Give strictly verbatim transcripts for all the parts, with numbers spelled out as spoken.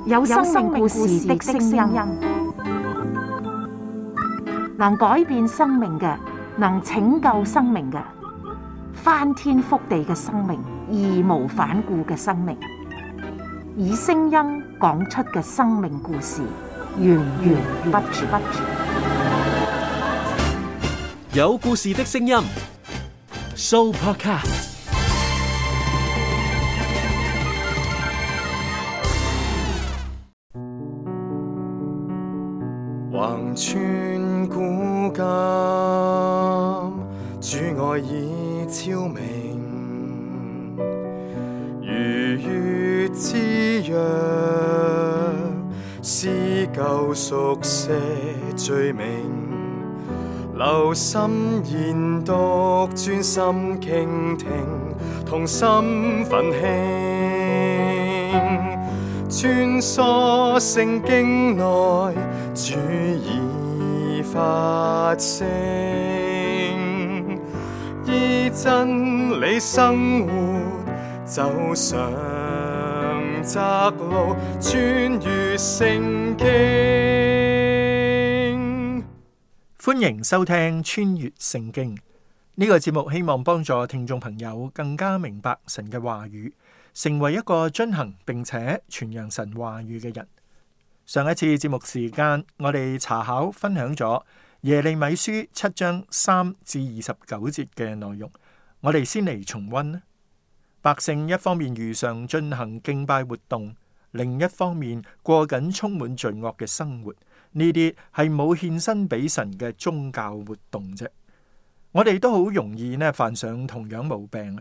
有生命故事的聲音，能改變生命嘅，能拯救生命嘅，翻天覆地嘅生命，義無反顧嘅生命，以聲音講出嘅生命故事，源源不絕。有故事的聲音 ，Sooo Podcast。橫穿古今，主愛已超明，如月之約，撕舊熟寫罪名，留心研讀，專心傾聽，同心奮興，穿梭聖經內，主已發聲，依真理生活，走上窄路，穿越聖經。歡迎收聽穿越聖經呢個節目，希望幫助聽眾朋友更加明白神嘅話語，成為一個遵行並且傳揚神話語嘅人。上一次節目時間，我哋查考分享咗耶利米書七章三至二十九節嘅內容，我哋先嚟重溫。百姓一方面如常進行敬拜活動，另一方面過緊充滿罪惡嘅生活，呢啲係冇獻身俾神嘅宗教活動啫。我哋都好容易呢犯上同樣毛病。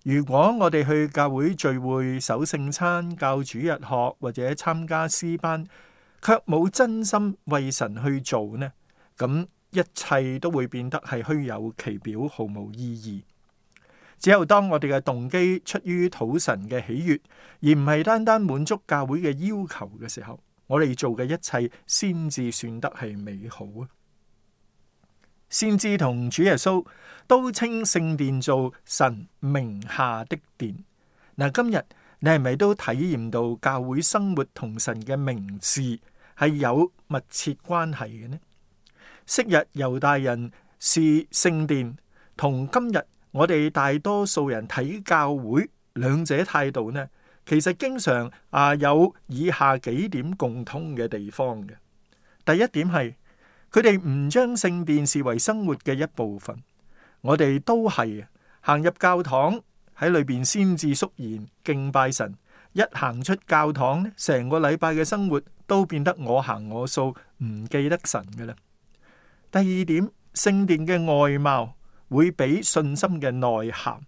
如果我哋去教會聚會、守聖餐、教主日學或者參加詩班，卻冇真心為神去做呢，咁一切都會變得係虛有其表，毫無意義。只有當我哋嘅動機出於討神嘅喜悅，而唔係單單滿足教會嘅要求嘅時候，我哋做嘅一切先至算得係美好啊！先知同主耶穌都稱聖殿做神名下的殿。嗱，今日你係咪都體驗到教會生活同神嘅名字係有密切關係嘅呢？昔日猶大人視聖殿同今日我哋大多數人睇教會兩者態度呢，其實經常啊有以下幾點共通嘅地方嘅。第一點係佢哋唔將聖殿視為生活嘅一部分。我哋都係行入教堂喺裏邊先至肅然敬拜神，一行出教堂呢，成個禮拜嘅生活都變得我行我素，唔記得神㗎喇。第二點，聖殿嘅外貌會比信心嘅內涵，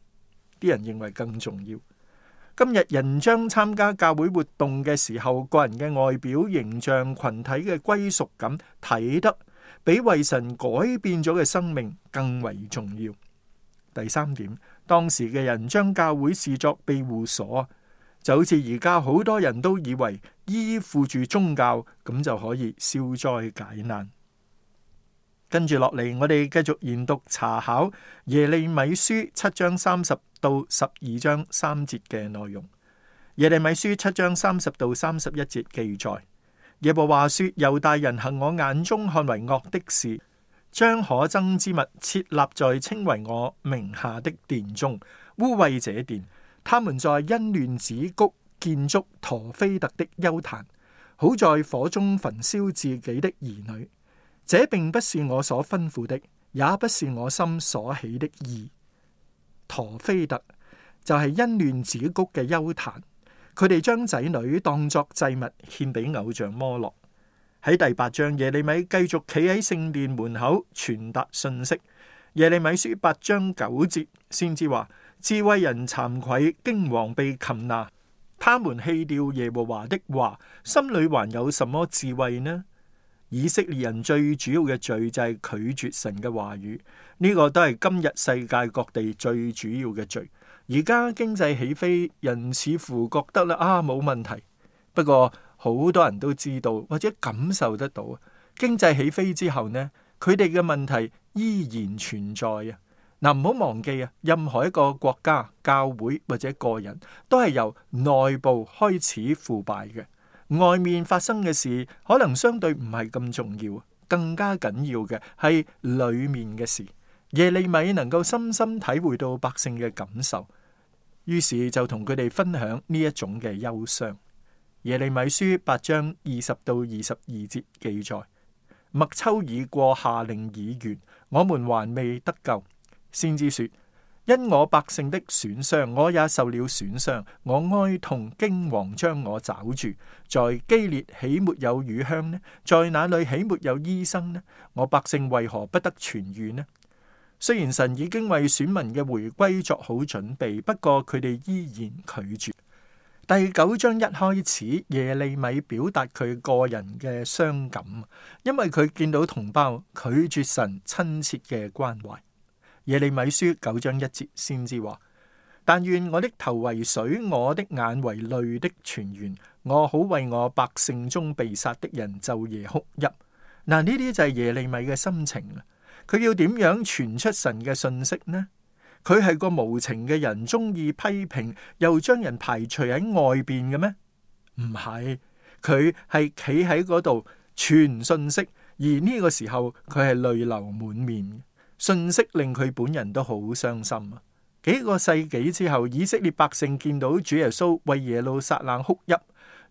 啲人認為更重要。今日人將參加教會活動嘅時候，個人嘅外表形象、群體嘅歸屬感睇得比為神改變咗嘅生命更為重要。第三點，當時嘅人將教會視作庇護所，就好似而家好多人都以為依附住宗教咁就可以消災解難。跟住落嚟，我哋繼續研讀查考耶利米書七章三十到十二章三節嘅內容。耶利米書七章三十到三十一節記載，耶和華說：猶大人行我眼中看為惡的事，將可憎之物設立在稱為我名下的殿中，污穢這殿。他們在欣嫩子谷建築陀斐特的邱壇，好在火中焚燒自己的兒女。這並不是我所吩咐的，也不是我心所起的意。陀斐特就係欣嫩子谷嘅邱壇，佢哋將仔女當作祭物獻俾偶像摩洛。喺第八章，耶利米繼續企喺聖殿門口傳達信息。耶利米書八章九節先至話：智慧人慚愧，驚惶被擒拿，他們棄掉耶和華的話，心裏還有什麼智慧呢？以色列人最主要嘅罪就係拒絕神嘅話語，呢、這個都係今日世界各地最主要嘅罪。而家經濟起飛，人似乎覺得啦啊冇問題，不過好多人都知道或者感受得到，經濟起飛之後呢，佢哋嘅問題依然存在啊。嗱，唔好忘記啊，任何一個國家、教會或者個人都係由內部開始腐敗嘅。外面發生嘅事可能相對唔係咁重要，更加緊要嘅係裏面嘅事。耶利米能夠深深體會到百姓嘅感受，於是就同佢哋分享呢一種嘅憂傷。耶利米書八章二十到二十二節記載：麥秋已過，夏令已完，我們還未得救。先知說：因我百姓的損傷，我也受了損傷。我哀痛驚惶，將我抓住。在基列豈沒有乳香呢？在那裏豈沒有醫生呢？我百姓為何不得痊癒呢？雖然神已經為選民嘅回歸作好準備，不過佢哋依然拒絕。第九章一開始，耶利米表達佢個人嘅傷感，因為佢見到同胞拒絕神親切嘅關懷。耶利米書九章一節先至話：但願我的頭為水，我的眼為淚的泉源，我好為我百姓中被殺的人晝夜哭泣。嗱，呢啲就係耶利米嘅心情啊！佢要點樣傳出神嘅信息呢？佢係個無情嘅人，中意批評，又將人排除喺外邊嘅咩？唔係，佢係企喺嗰度傳信息，而呢個時候佢係淚流滿面。信息令佢本人都好傷心啊！幾個世紀之後，以色列百姓見到主耶穌為耶路撒冷哭泣，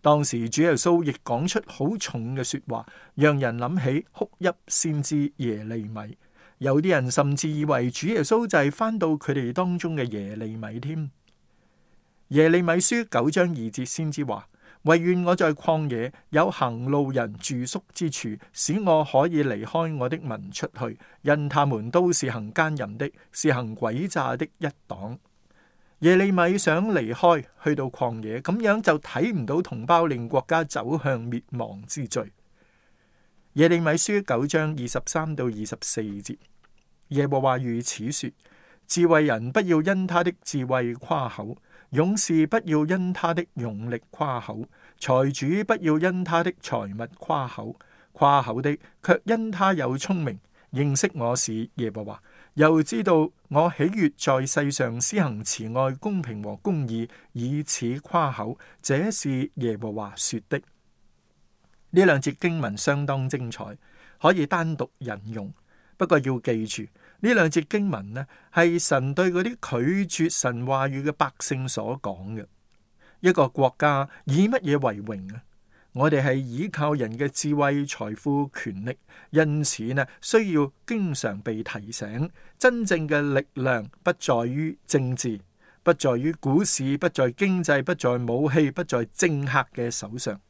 當時主耶穌亦講出好重嘅說話，讓人諗起哭泣先知耶利米。有啲人甚至以為主耶穌就係翻到佢哋當中嘅耶利米添。耶利米書九章二節先知話：惟願我在曠野有行路人住宿之處，使我可以離開我的民出去，因他們都是行奸淫的，是行詭詐的一黨。耶利米想離開，去到曠野，咁樣就睇唔到同胞令國家走向滅亡之罪。耶利米書九章二十三到二十四節，耶和華如此說：智慧人不要因他的智慧誇口，勇士不要因他的勇力誇口，財主不要因他的財物誇口，誇口的卻因他有聰明，認識我是耶和華，又知道我喜悅在世上施行慈愛、公平和公義，以此誇口。這是耶和華說的。呢兩節經文相當精彩，可以單獨引用。不過要記住，呢兩節經文呢，係神對嗰啲拒絕神話語嘅百姓所講嘅。一個國家以乜嘢為榮啊？我哋係依靠人嘅智慧、財富、權力，因此呢，需要經常被提醒，真正嘅力量不在於政治，不在於股市，不在經濟，不在武器，不在政客嘅手上。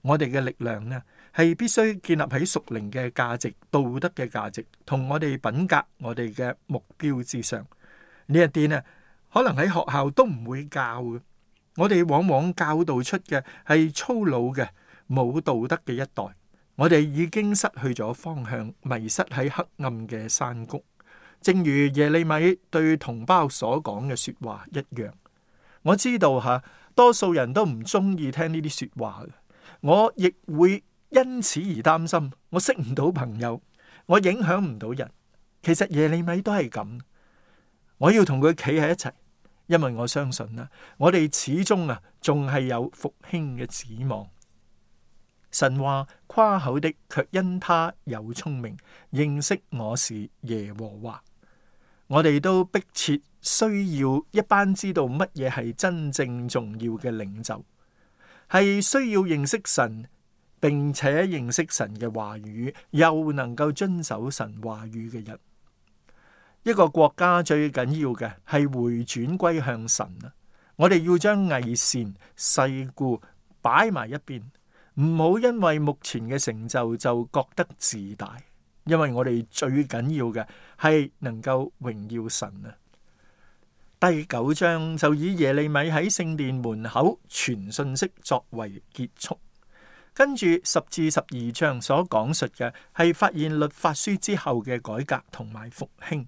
我哋嘅力量呢，係必須建立喺屬靈嘅價值、道德嘅價值，同我哋品格、我哋嘅目標之上。呢一啲呢，可能喺學校都唔會教嘅。我哋往往教導出嘅係粗魯嘅、冇道德嘅一代。我哋已經失去咗方向，迷失喺黑暗嘅山谷。正如耶利米對同胞所講嘅說話一樣。我知道吓，多數人都唔中意聽呢啲說話嘅。我亦會因此而擔心，我識唔到朋友，我影響唔到人。其實耶利米都係咁，我要同佢企喺一齊，因為我相信啦，我哋始終啊，仲係有復興嘅指望。神話誇口的，卻因他有聰明，認識我是耶和華。我哋都迫切需要一班知道乜嘢係真正重要嘅領袖。係需要認識神，並且認識神嘅話語，又能夠遵守神話語嘅人。一個國家最緊要嘅係回轉歸向神啊！我哋要將偽善、世故擺埋一邊，唔好因為目前嘅成就就覺得自大，因為我哋最緊要嘅係能夠榮耀神啊！第九章就以耶利米喺聖殿門口傳信息作為結束，跟住十至十二章所講述嘅係發現律法書之後嘅改革同埋復興。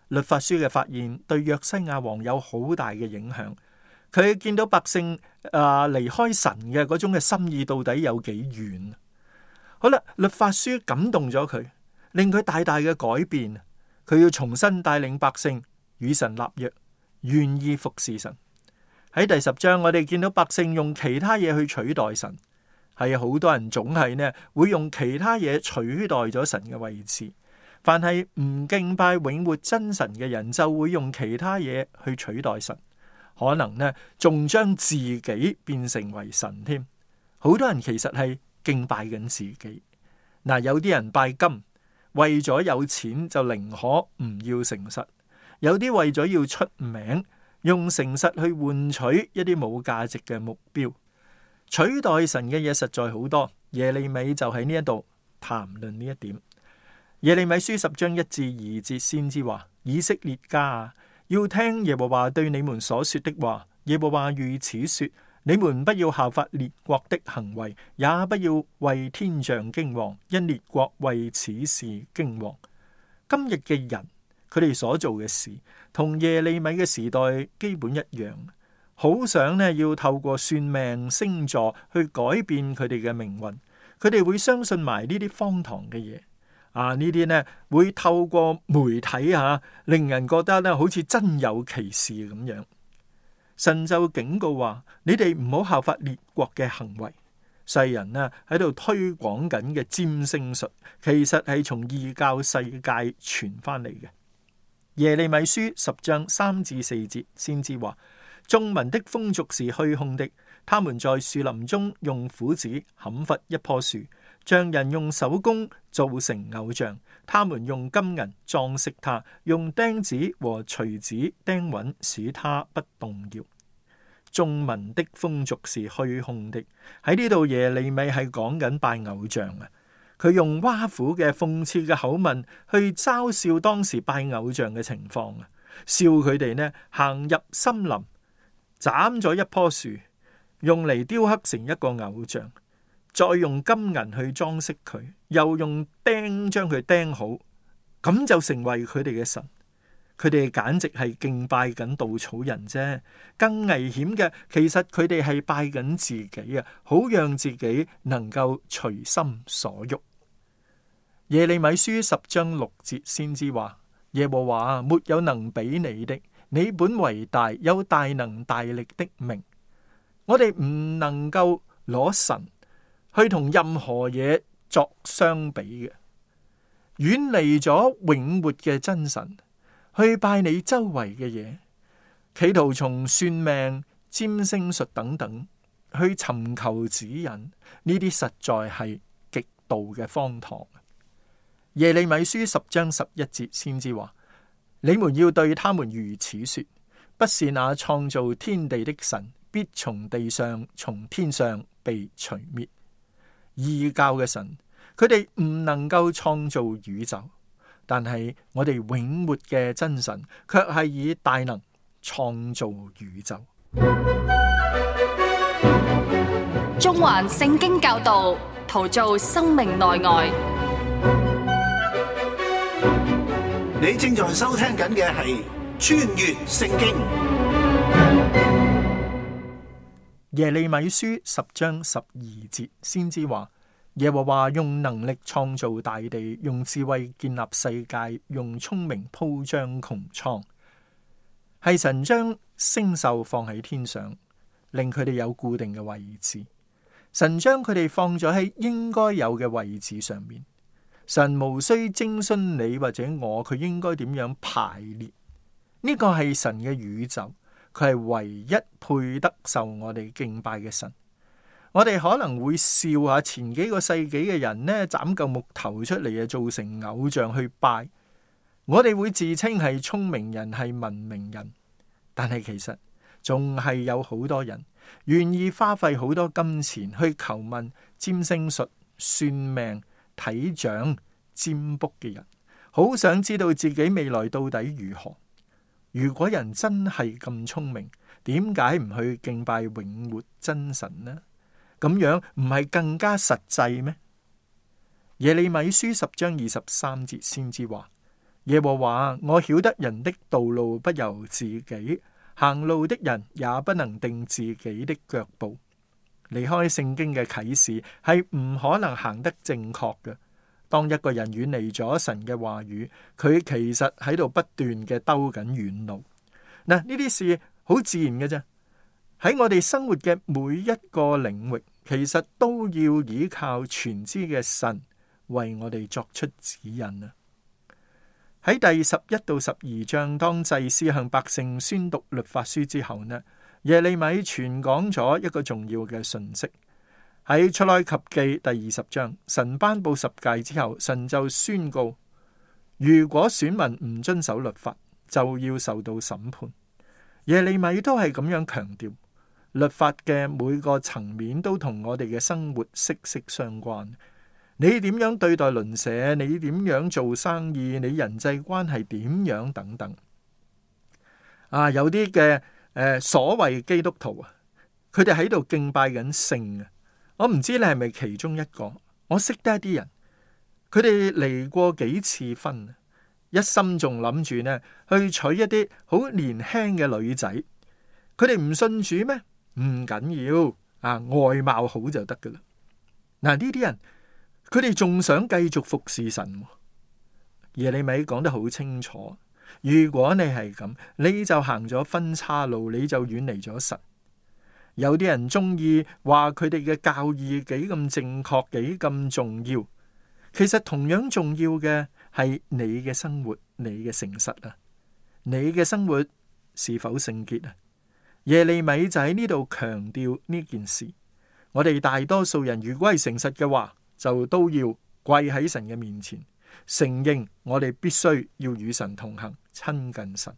律法書嘅發現對約西亞王有好大嘅影響，佢見到百姓啊離開神嘅嗰種嘅心意到底有幾遠。好啦，律法書感動咗佢，令佢大大嘅改變。佢要重新帶領百姓與神立約，願意服侍神。喺第十章，我哋見到百姓用其他嘢去取代神。係好多人總係呢會用其他嘢取代咗神嘅位置。凡係唔敬拜永活真神嘅人，就會用其他嘢去取代神，可能呢仲將自己變成為神添。好多人其實係敬拜緊自己。嗱，有啲人拜金，為咗有錢就寧可唔要誠實；有啲為咗要出名，用誠實去換取一啲冇價值嘅目標。取代神嘅嘢實在好多，耶利米就喺呢一度談論呢一點。耶利米書十章一至二節先知話：以色列家啊，要聽耶和華對你們所說的話。耶和華如此說：你們不要效法列國的行為，也不要為天象驚惶，因列國為此事驚惶。今日嘅人，佢哋所做嘅事，同耶利米嘅時代基本一樣，好想呢要透過算命星座去改變佢哋嘅命運。佢哋會相信埋呢啲荒唐嘅嘢。啊！呢啲呢會透過媒體吓、啊，令人覺得呢好似真有其事咁樣。神就警告話：你哋唔好效法列國嘅行為。世人呢喺度推廣緊嘅占星術，其實係從異教世界傳翻嚟嘅。耶利米書十章三至四節先知話：眾民的風俗是虛空的，他們在樹林中用斧子砍伐一棵樹，匠人用手工造成偶像，他們用金銀裝飾它，用釘子和錘子釘穩，使它不動搖。眾民的風俗是虛空的，喺呢度耶利米係講緊拜偶像啊！佢用挖苦嘅諷刺嘅口吻去嘲笑當時拜偶像嘅情況啊！笑佢哋呢行入森林，斬咗一棵樹，用嚟雕刻成一個偶像。再用金銀去裝飾佢，又用釘將佢釘好，咁就成為佢哋嘅神。佢哋簡直係敬拜緊稻草人啫。更危險嘅，其實佢哋係拜緊自己啊，好讓自己能夠隨心所欲。耶利米書十章六節先知話：耶和華沒有能比你的，你本為大，有大能大力的名。我哋唔能夠攞神去同任何嘢作相比嘅，遠離咗永活嘅真神，去拜你周圍嘅嘢，企圖從算命、占星術等等去尋求指引，呢啲實在係極度嘅荒唐。耶利米書十章十一節先知話：你們要對他們如此說，不是那創造天地的神必從地上、從天上被除滅。異教嘅神，佢哋唔能夠創造宇宙，但係我哋永活嘅真神卻係以大能創造宇宙。中環聖經教導，陶造生命內外。你正在收聽緊嘅係穿越聖經。耶利米書十章十二節先知話：耶和華用能力創造大地，用智慧建立世界，用聰明鋪張穹蒼。係神將星宿放喺天上，令佢哋有固定嘅位置。神將佢哋放咗喺應該有嘅位置上面。神無需徵詢你或者我，佢應該點樣排列？呢個係神嘅宇宙。佢係唯一配得受我哋敬拜嘅神。我哋可能會笑下前幾個世紀嘅人呢，斬嚿木頭出嚟啊，做成偶像去拜。我哋會自稱係聰明人，係文明人，但係其實仲係有好多人願意花費好多金錢去求問占星術、算命、睇掌、占卜嘅人，好想知道自己未來到底如何。如果人真係咁聰明，點解唔去敬拜永活真神呢？咁樣唔係更加實際咩？耶利米書十章二十三節先知話：耶和華，我曉得人的道路不由自己，行路的人也不能定自己的腳步。離開聖經嘅啟示係唔可能行得正確嘅。當一個人遠離咗神嘅話語，佢其實喺度不斷嘅兜緊遠路。嗱，呢啲事好自然嘅啫。喺我哋生活嘅每一個領域，其實都要依靠全知嘅神為我哋作出指引啊！喺第十一到十二章，當祭司向百姓宣讀律法書之後呢，耶利米傳講咗一個重要嘅訊息。喺出埃及記第二十章，神頒布十誡之後，神就宣告，如果選民唔遵守律法，就要受到審判。耶利米都係咁樣強調，律法嘅每個層面都同我哋嘅生活息息相關。你點樣對待鄰舍，你點樣做生意，你人際關係點樣等等。啊，有啲嘅誒所謂基督徒啊，佢哋喺度敬拜緊聖啊。我唔知你係咪其中一個。我識得一啲人，佢哋離過幾次婚，一心仲諗住呢去娶一啲好年輕嘅女仔。佢哋唔信主咩？唔緊要啊，外貌好就得噶啦。嗱，呢啲人佢哋仲想繼續服侍神。耶利米講得好清楚，如果你係咁，你就行咗分岔路，你就遠離咗神。有啲人中意話佢哋嘅教義幾咁正確，幾咁重要。其實同樣重要嘅係你嘅生活，你嘅誠實啊，你嘅生活是否聖潔啊？耶利米就喺呢度強調呢件事。我哋大多數人如果係誠實嘅話，就都要跪喺神嘅面前，承認我哋必須要與神同行，親近神。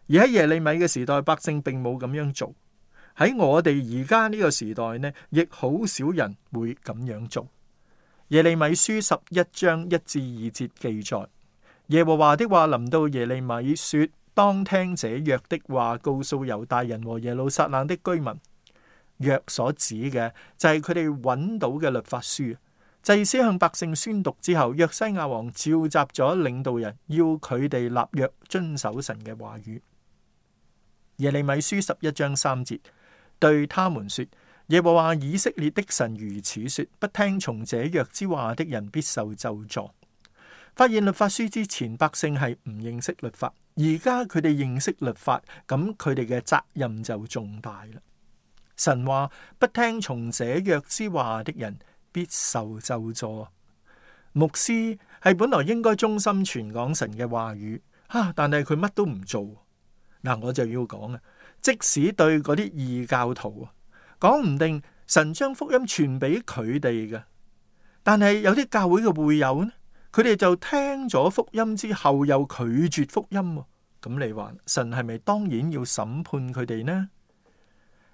而喺耶利米嘅時代，百姓並冇咁樣做。喺我哋而家呢個時代呢，亦好少人會咁樣做。耶利米書十一章一至二節記載，耶和華的話臨到耶利米說，當聽這約的話，告訴猶大人和耶路撒冷的居民。約所指嘅就係佢哋揾到嘅律法書。祭司向百姓宣讀之後，約西亞王召集咗領導人，要佢哋立約遵守神嘅話語。耶利米書十一章三節，對他們說，耶和華以色列的神如此說，不聽從這約之話的人必受咒詛。發現律法書之前，百姓係唔認識律法，而家佢哋認識律法，咁佢哋嘅責任就重大啦。神話不聽從這約之話的人必受咒詛。牧師係本來應該忠心傳講神嘅話語，啊，但係佢乜都唔做。嗱，我就要講啊，即使對嗰啲異教徒啊，講唔定神將福音傳俾佢哋嘅，但係有啲教會嘅會友呢，佢哋就聽咗福音之後又拒絕福音，咁你話神係咪當然要審判佢哋呢？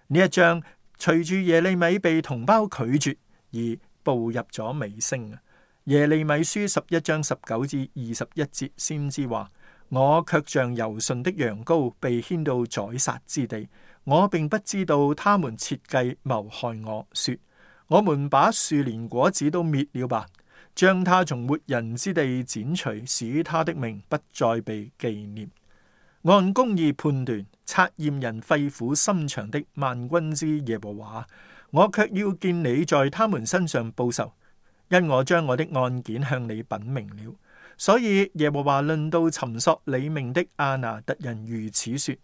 呢一章隨住耶利米被同胞拒絕而步入咗尾聲啊！耶利米書十一章十九至二十一節，先知話：我卻像柔順的羊羔被牽到宰殺之地，我並不知道他們設計謀害我，說：我們把樹連果子都滅了吧，將他從活人之地剪除，使他的名不再被紀念。按公義判斷，察驗人肺腑心腸的萬軍之耶和華，我卻要見你在他們身上報仇，因我將我的案件向你稟明了。所以耶和華論到尋索你命的亞拿突人如此說：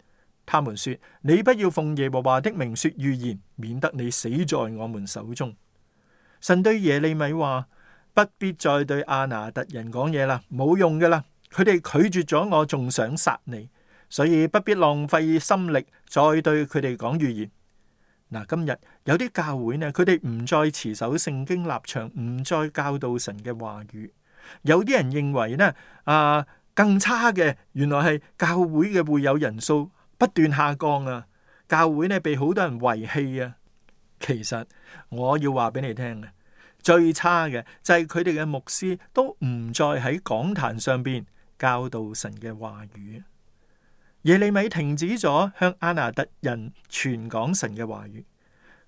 他們說，你不要奉耶和華的名說預言，免得你死在我們手中。神對耶利米話：不必再對亞拿突人講嘢啦，冇用噶啦，佢哋拒絕咗我，仲想殺你。所以不必浪費心力再對佢哋講預言。嗱，今日有啲教會呢，佢哋唔再持守聖經立場，唔再教導神嘅話語。有啲人認為呢，啊更差嘅，原來係教會嘅會友人數不斷下降啊，教會呢被好多人遺棄啊。其實我要話俾你聽啊，最差嘅就係佢哋嘅牧師都唔再喺講壇上邊教導神嘅話語。耶利米停止咗向亞拿突人傳講神嘅話語，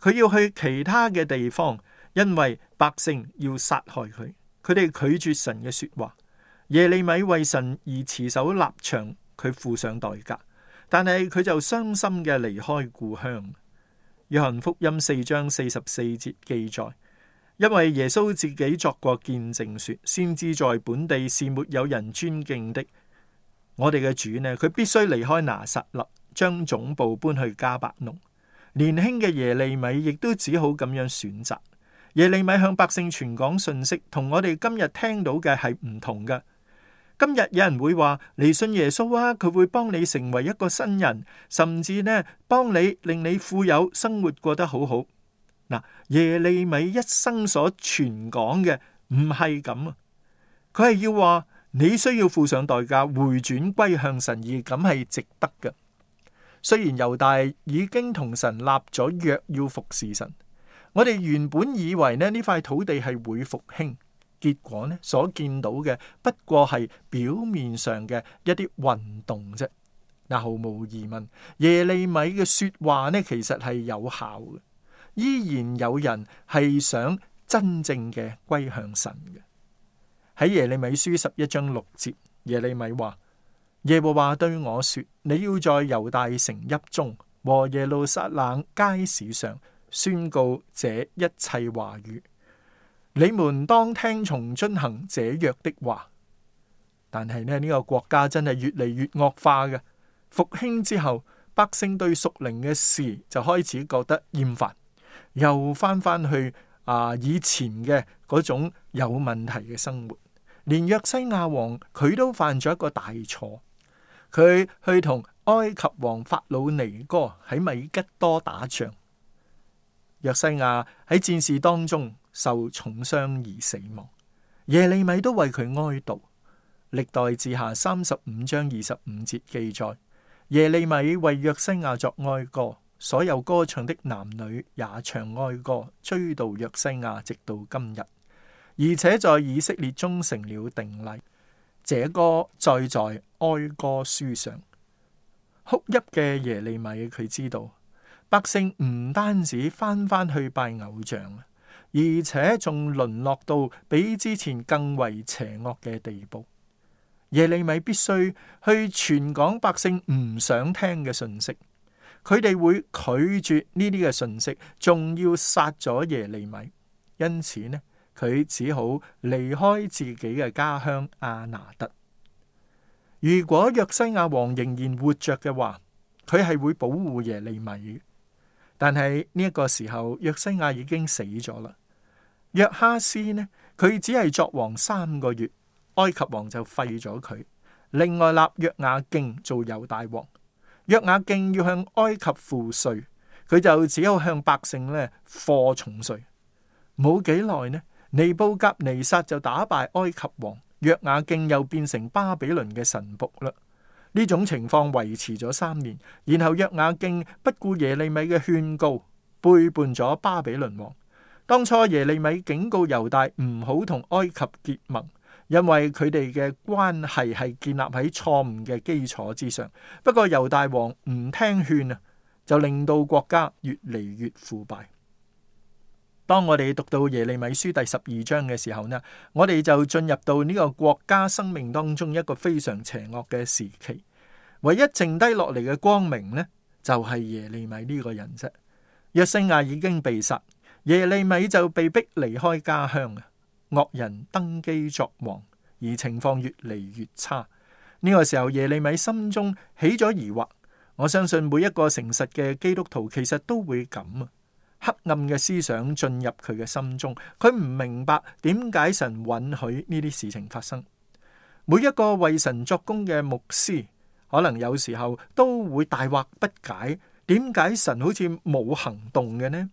佢要去其他嘅地方，因為百姓要殺害佢，佢哋拒絕神嘅說話。耶利米為神而持守立場，佢付上代價，但係佢就傷心嘅離開故鄉。約翰福音四章四十四節記載：因為耶穌自己作過見證說，先知在本地是沒有人尊敬的。我哋嘅主呢，佢必須離開拿撒勒，將總部搬去迦百農。年輕嘅耶利米亦都只好咁樣選擇。耶利米向百姓傳講信息，同我哋今日聽到嘅係唔同嘅。今日有人會話嚟信耶穌啊，佢會幫你成為一個新人，甚至呢幫你令你富有，生活過得好好。嗱，耶利米一生所傳講嘅唔係咁啊，佢係要話你需要付上代價，回轉歸向神，而咁係值得嘅。雖然猶大已經同神立咗約要服侍神，我哋原本以為呢呢塊土地係會復興。結果呢，所見到嘅不過係表面上嘅一啲運動啫。嗱，毫無疑問，耶利米嘅說話呢，其實係有效嘅，依然有人係想真正嘅歸向神嘅。喺耶利米書十一章六節，耶利米話：耶和華對我說，你要在猶大城邑中和耶路撒冷街市上宣告這一切話語。你們當聽從遵行這約的話。但係呢，呢個國家真係越嚟越惡化嘅。復興之後，百姓對屬靈嘅事就開始覺得厭煩，又翻翻去啊以前嘅嗰種有問題嘅生活。連約西亞王佢都犯咗一個大錯，佢去同埃及王法老尼哥喺米吉多打仗。約西亞喺戰事當中受重傷而死亡，耶利米都為佢哀悼。歷代志下三十五章二十五節記載，耶利米為約西亞作哀歌，所有歌唱的男女也唱哀歌，追悼約西亞直到今日，而且在以色列中成了定例。這歌載在哀歌書上。哭泣嘅耶利米佢知道，百姓唔單止翻翻去拜偶像，而且仲淪落到比之前更為邪惡嘅地步。耶利米必須去傳講百姓唔想聽嘅信息，佢哋會拒絕呢啲嘅信息，仲要殺咗耶利米。因此呢，佢只好離開自己嘅家鄉亞拿德。如果約西亞王仍然活着嘅話，佢係會保護耶利米嘅。但係呢一個時候，約西亞已經死咗啦。約哈斯呢，佢只係作王三個月，埃及王就廢咗佢，另外立約雅敬做猶大王。約雅敬要向埃及付稅，佢就只有向百姓呢課重稅。冇幾耐呢，尼布甲尼撒就打敗埃及王，約雅敬又變成巴比倫嘅臣僕啦。呢種情況維持咗三年，然後約雅敬不顧耶利米嘅勸告，背叛咗巴比倫王。當初耶利米警告猶大唔好同埃及結盟，因為佢哋嘅關係係建立喺錯誤嘅基礎之上。不過猶大王唔聽勸啊，就令到國家越嚟越腐敗。當我哋讀到耶利米書第十二章嘅時候呢，我哋就進入到呢個國家生命當中一個非常邪惡嘅時期。唯一剩低落嚟嘅光明呢，就係耶利米呢個人啫。約西亞已經被殺，耶利米就被逼離開家鄉啊。惡人登基作王，而情況越嚟越差。呢個時候耶利米心中起咗疑惑。我相信每一個誠實嘅基督徒其實都會咁啊。黑暗嘅思想進入佢嘅心中，佢唔明白點解神允許呢啲事情發生。每一個為神作工嘅牧師，可能有時候都會大惑不解，點解神好似冇行動嘅呢？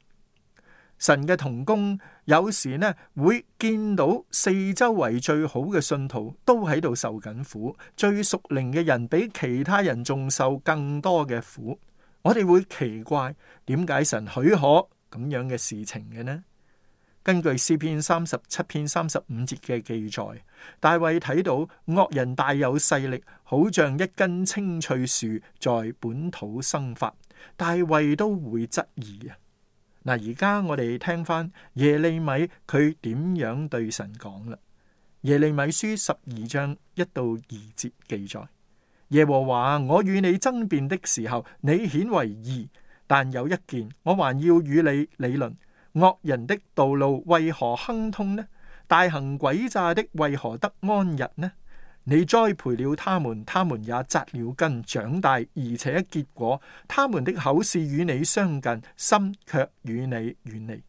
神嘅同工有時呢會見到四周圍最好嘅信徒都喺度受緊苦，最屬靈嘅人比其他人仲受更多嘅苦。我哋會奇怪點解神許可咁樣嘅事情嘅呢？根據詩篇三十七篇三十五節嘅記載，大衛睇到惡人大有勢力，好像一根青翠樹在本土生發，大衛都會質疑啊！嗱，而家我哋聽翻耶利米佢點樣對神講啦？耶利米書十二章一到二節記載：耶和華，我與你爭辯的時候，你顯為義。但有一件，我還要與你理論，惡人的道路為何亨通呢？大行詭詐的為何得安逸呢？你栽培了他們，他們也扎了根，長大，而且結果。他們的口是與你相近，心卻與你遠離。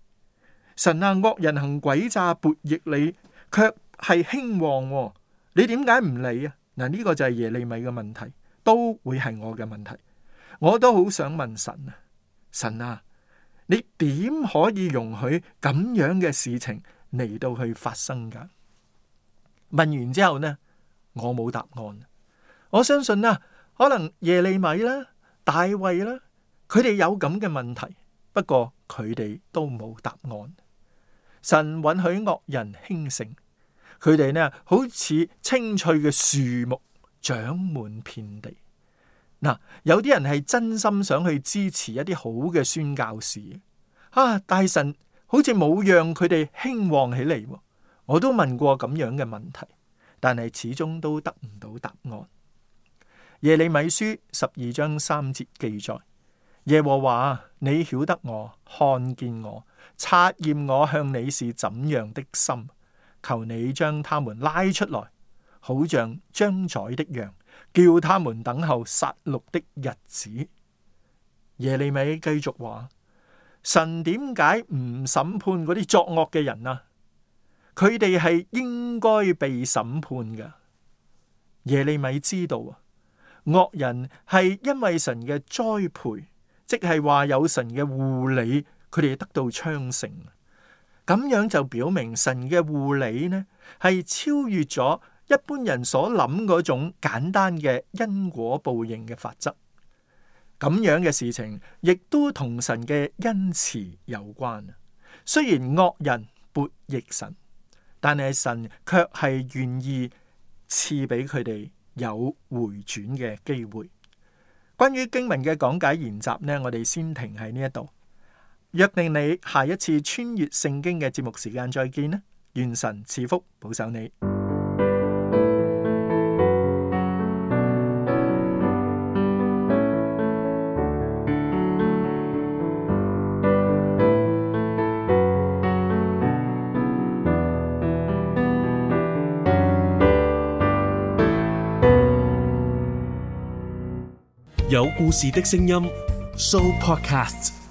神啊，惡人行詭詐，悖逆你，卻係興旺喎，你點解唔理啊？嗱，呢個就係耶利米嘅問題，都會係我嘅問題。我都好想問神啊，神啊，你點可以容許咁樣嘅事情嚟到去發生噶？問完之後呢，我冇答案。我相信啦，可能耶利米啦、大衛啦，佢哋有咁嘅問題，不過佢哋都冇答案。神允許惡人興盛，佢哋呢好似青翠嘅樹木，長滿遍地。嗱，有啲人係真心想去支持一啲好嘅宣教士啊，但神好似冇讓佢哋興旺起嚟。我都問過咁樣嘅問題，但係始終都得唔到答案。耶利米書十二章三節記載：耶和華，你曉得我，看見我，察驗我向你是怎樣的心，求你將他們拉出來，好像將宰的羊，叫他們等候殺戮的日子。耶利米繼續話：神點解唔審判嗰啲作惡嘅人啊？佢哋係應該被審判嘅。耶利米知道啊，惡人係因為神嘅栽培，即係話有神嘅護理，佢哋得到昌盛。咁樣就表明神嘅護理呢，係超越咗一般人所諗嗰種簡單嘅因果報應嘅法則。咁樣嘅事情亦都同神嘅恩慈有關。雖然惡人悖逆神，但係神卻係願意賜俾佢哋有回轉嘅機會。關於經文嘅講解研習呢，我哋先停喺呢一度。約定你下一次穿越聖經嘅節目時間再見啦！願神賜福保守你。有故事的聲音 Show Podcast。